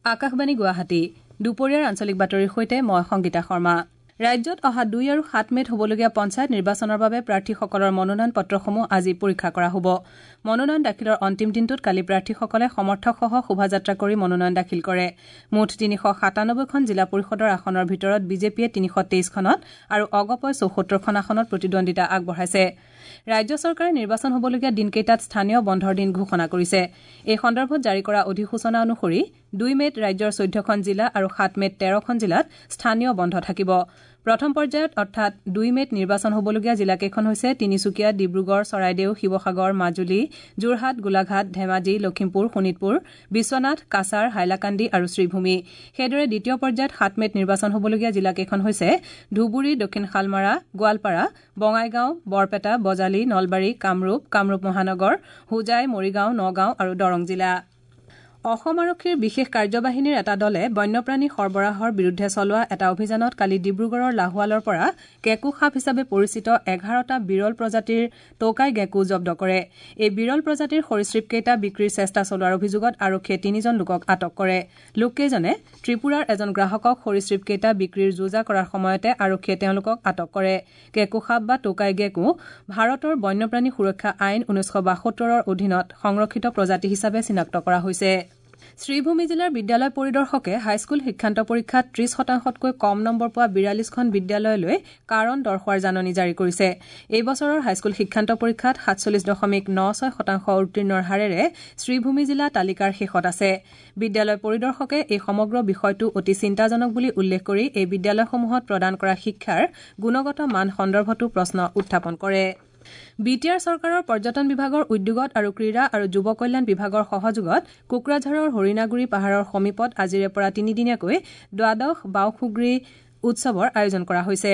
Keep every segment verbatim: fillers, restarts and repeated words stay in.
আকাশবাণী গুৱাহাটী দুপৰীয়াৰ আঞ্চলিক বাতৰিৰ সৈতে মই সংগীতা শৰ্মা। ৰাজ্যত অহা দুই আৰু সাত মে'ত হ'বলগীয়া পঞ্চায়ত নিৰ্বাচনৰ বাবে প্ৰাৰ্থীসকলৰ মনোনয়ন পত্ৰসমূহ আজি পৰীক্ষা কৰা হ'ব। মনোনয়ন দাখিলৰ অন্তিম দিনটোত কালি প্ৰাৰ্থীসকলে সমৰ্থকসহ শোভাযাত্ৰা কৰি মনোনয়ন দাখিল কৰে। মুঠ তিনিশ সাতানব্বৈখন জিলা পৰিষদৰ আসনৰ ভিতৰত বিজেপিয়ে তিনিশ তেইছখনত আৰু অগপই চৌসত্তৰখন আসনত প্ৰতিদ্বন্দ্বিতা আগবঢ়াইছে। ৰাজ্য চৰকাৰে নিৰ্বাচন হ'বলগীয়া দিনকেইটাত স্থানীয় বন্ধৰ দিন ঘোষণা কৰিছে। এই সন্দৰ্ভত জাৰি কৰা অধিসূচনা অনুসৰি দুই মে'ত ৰাজ্যৰ চৈধ্যখন জিলা আৰু সাত মে'ত তেৰখন জিলাত স্থানীয় বন্ধ থাকিব। প্ৰথম পৰ্যায়ত অৰ্থাৎ দুই মে'ত নিৰ্বাচন হ'বলগীয়া জিলাকেইখন হৈছে তিনিচুকীয়া, ডিব্ৰুগড়, চৰাইদেউ, শিৱসাগৰ, মাজুলী, যোৰহাট, গোলাঘাট, ধেমাজি, লখিমপুৰ, শোণিতপুৰ, বিশ্বনাথ, কাছাৰ, হাইলাকান্দি আৰু শ্ৰীভূমি। সেইদৰে দ্বিতীয় পৰ্যায়ত সাত মে'ত নিৰ্বাচন হ'বলগীয়া জিলাকেইখন হৈছে ধুবুৰী, দক্ষিণ শালমাৰা, গোৱালপাৰা, বঙাইগাঁও, বৰপেটা, বজালী, নলবাৰী, কামৰূপ, কামৰূপ মহানগৰ, হোজাই, মৰিগাঁও, নগাঁও আৰু দৰং জিলা। অসম আৰক্ষীৰ বিশেষ কাৰ্যবাহিনীৰ এটা দলে বন্যপ্ৰাণী সৰবৰাহৰ বিৰুদ্ধে চলোৱা এটা অভিযানত কালি ডিব্ৰুগড়ৰ লাহোৱালৰ পৰা কেকো সাপ হিচাপে পৰিচিত এঘাৰটা বিৰল প্ৰজাতিৰ টৌকাই গেকো জব্দ কৰে। এই বিৰল প্ৰজাতিৰ সৰীসৃপকেইটা বিক্ৰীৰ চেষ্টা চলোৱাৰ অভিযোগত আৰক্ষীয়ে তিনিজন লোকক আটক কৰে। লোককেইজনে ত্ৰিপুৰাৰ এজন গ্ৰাহকক সৰীসৃপকেইটা বিক্ৰীৰ যোজা কৰাৰ সময়তে আৰক্ষীয়ে তেওঁলোকক আটক কৰে। কেকো সাপ বা টৌকাই গেকো ভাৰতৰ বন্যপ্ৰাণী সুৰক্ষা আইন ঊনৈছশ বাসত্তৰৰ অধীনত সংৰক্ষিত প্ৰজাতি হিচাপে চিনাক্ত কৰা হৈছে। শ্ৰীভূমি জিলাৰ বিদ্যালয় পৰিদৰ্শকে হাইস্কুল শিক্ষান্ত পৰীক্ষাত ত্ৰিশ শতাংশতকৈ কম নম্বৰ পোৱা বিৰাল্লিছখন বিদ্যালয়লৈ কাৰণ দৰ্শোৱাৰ জাননী জাৰি কৰিছে। এই বছৰৰ হাইস্কুল শিক্ষান্ত পৰীক্ষাত সাতচল্লিছ দশমিক ন ছয় শতাংশ উত্তীৰ্ণৰ হাৰেৰে শ্ৰীভূমি জিলা তালিকাৰ শেষত আছে। বিদ্যালয় পৰিদৰ্শকে এই সমগ্ৰ বিষয়টো অতি চিন্তাজনক বুলি উল্লেখ কৰি এই বিদ্যালয়সমূহত প্ৰদান কৰা শিক্ষাৰ গুণগত মান সন্দৰ্ভতো প্ৰশ্ন উত্থাপন কৰে। বি টি আৰ চৰকাৰৰ পৰ্যটন বিভাগৰ উদ্যোগত আৰু ক্ৰীড়া আৰু যুৱ কল্যাণ বিভাগৰ সহযোগত কোকৰাঝাৰৰ হৰিণাগুৰি পাহাৰৰ সমীপত আজিৰে পৰা তিনিদিনীয়াকৈ দ্বাদশ বাওখুগ্ৰী উৎসৱৰ আয়োজন কৰা হৈছে।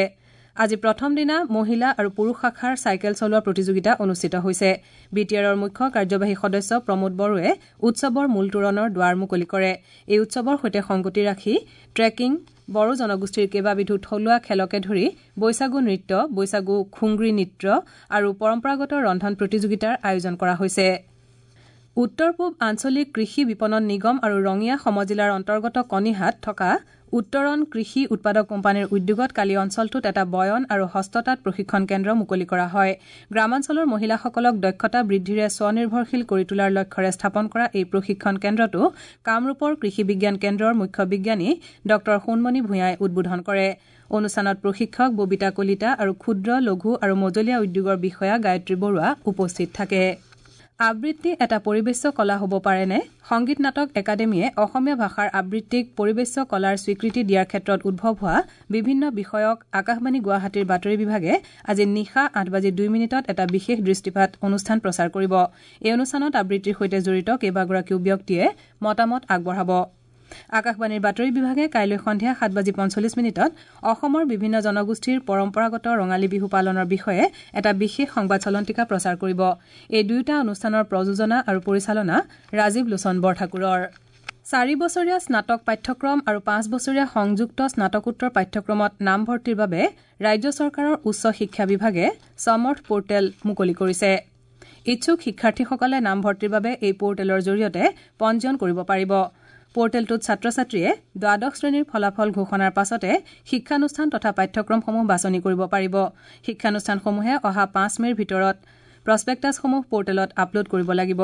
আজি প্ৰথম দিনা মহিলা আৰু পুৰুষ শাখাৰ চাইকেল চলোৱা প্ৰতিযোগিতা অনুষ্ঠিত হৈছে। বি টি আৰৰ মুখ্য কাৰ্যবাহী সদস্য প্ৰমোদ বড়োৱে উৎসৱৰ মূল তোৰণৰ দুৱাৰ মুকলি কৰে। এই উৎসৱৰ সৈতে সংগতি ৰাখি ট্ৰেকিং, বড়ো জনগোষ্ঠীৰ কেইবাবিধো থলুৱা খেলকে ধৰি বৈশাগু নৃত্য, বৈশাগু খুংগ্ৰী নৃত্য আৰু পৰম্পৰাগত ৰন্ধন প্ৰতিযোগিতাৰ আয়োজন কৰা হৈছে। উত্তৰ পূব আঞ্চলিক কৃষি বিপণন নিগম আৰু ৰঙিয়া সমজিলাৰ অন্তৰ্গত কণিহাত থকা উত্তৰণ কৃষি উৎপাদক কোম্পানীৰ উদ্যোগত কালি অঞ্চলটোত এটা বয়ন আৰু হস্ততাঁত প্ৰশিক্ষণ কেন্দ্ৰ মুকলি কৰা হয়। গ্ৰামাঞ্চলৰ মহিলাসকলক দক্ষতা বৃদ্ধিৰে স্বনিৰ্ভৰশীল কৰি তোলাৰ লক্ষ্যৰে স্থাপন কৰা এই প্ৰশিক্ষণ কেন্দ্ৰটো কামৰূপৰ কৃষি বিজ্ঞান কেন্দ্ৰৰ মুখ্য বিজ্ঞানী ডঃ সোণমণি ভূঞাই উদ্বোধন কৰে। অনুষ্ঠানত প্ৰশিক্ষক ববিতা কলিতা আৰু ক্ষুদ্ৰ, লঘু আৰু মজলীয়া উদ্যোগৰ বিষয়া গায়ত্ৰী বৰুৱা উপস্থিত থাকে। আবৃত্তি এটা পৰিৱেশ্য কলা হ'ব পাৰেনে? সংগীত নাটক একাডেমীয়ে অসমীয়া ভাষাৰ আবৃত্তিক পৰিৱেশ্য কলাৰ স্বীকৃতি দিয়াৰ ক্ষেত্ৰত উদ্ভৱ হোৱা বিভিন্ন বিষয়ক আকাশবাণী গুৱাহাটীৰ বাতৰি বিভাগে আজি নিশা আঠ বাজি দুই মিনিটত এটা বিশেষ দৃষ্টিপাত অনুষ্ঠান প্ৰচাৰ কৰিব। এই অনুষ্ঠানত আবৃত্তিৰ সৈতে জড়িত কেইবাগৰাকীও ব্যক্তিয়ে মতামত আগবঢ়াব। আকাশবাণীৰ বাতৰি বিভাগে কাইলৈ সন্ধিয়া সাত বাজি পঞ্চল্লিছ মিনিটত অসমৰ বিভিন্ন জনগোষ্ঠীৰ পৰম্পৰাগত ৰঙালী বিহু পালনৰ বিষয়ে এটা বিশেষ সংবাদ চলন্তিকা প্ৰচাৰ কৰিব। এই দুয়োটা অনুষ্ঠানৰ প্ৰযোজনা আৰু পৰিচালনা ৰাজীৱ লোচন বৰঠাকুৰৰ। চাৰি বছৰীয়া স্নাতক পাঠ্যক্ৰম আৰু পাঁচ বছৰীয়া সংযুক্ত স্নাতকোত্তৰ পাঠ্যক্ৰমত নামভৰ্তিৰ বাবে ৰাজ্য চৰকাৰৰ উচ্চ শিক্ষা বিভাগে সমৰ্থ পৰ্টেল মুকলি কৰিছে। ইচ্ছুক শিক্ষাৰ্থীসকলে নামভৰ্তিৰ বাবে এই পৰ্টেলৰ জৰিয়তে পঞ্জীয়ন কৰিব পাৰিব। পৰ্টেলটোত ছাত্ৰ ছাত্ৰীয়ে দ্বাদশ শ্ৰেণীৰ ফলাফল ঘোষণাৰ পাছতে শিক্ষানুষ্ঠান তথা পাঠ্যক্ৰমসমূহ বাছনি কৰিব পাৰিব। শিক্ষানুষ্ঠানসমূহে অহা পাঁচ মে'ৰ ভিতৰত প্ৰস্পেক্টাছসমূহ পৰ্টেলত আপলোড কৰিব লাগিব।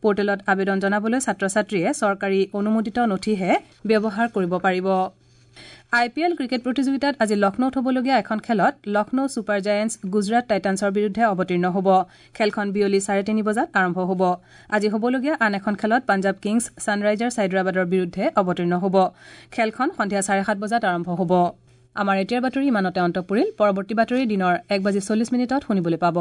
পৰ্টেলত আবেদন জনাবলৈ ছাত্ৰ ছাত্ৰীয়ে চৰকাৰী অনুমোদিত নথিহে ব্যৱহাৰ কৰিব পাৰিব। আই পি এল ক্ৰিকেট প্ৰতিযোগিতাত আজি লক্ষ্ণৌত হ'বলগীয়া এখন খেলত লক্ষ্ণৌ ছুপাৰ জায়েণ্টছ গুজৰাট টাইটানছৰ বিৰুদ্ধে অৱতীৰ্ণ হ'ব। খেলখন বিয়লি চাৰে তিনি বজাত আৰম্ভ হ'ব। আজি হ'বলগীয়া আন এখন খেলত পাঞ্জাৱ কিংছ ছানৰাইজাৰ্ছ হায়দৰাবাদৰ বিৰুদ্ধে অৱতীৰ্ণ হ'ব। খেলখন সন্ধিয়া চাৰে সাত বজাত আৰম্ভ হ'ব। আমাৰ এতিয়াৰ বাতৰি ইমানতে অন্ত পৰিল। পৰৱৰ্তী বাতৰি দিনৰ এক বাজি চল্লিছ মিনিটত শুনিবলৈ পাব।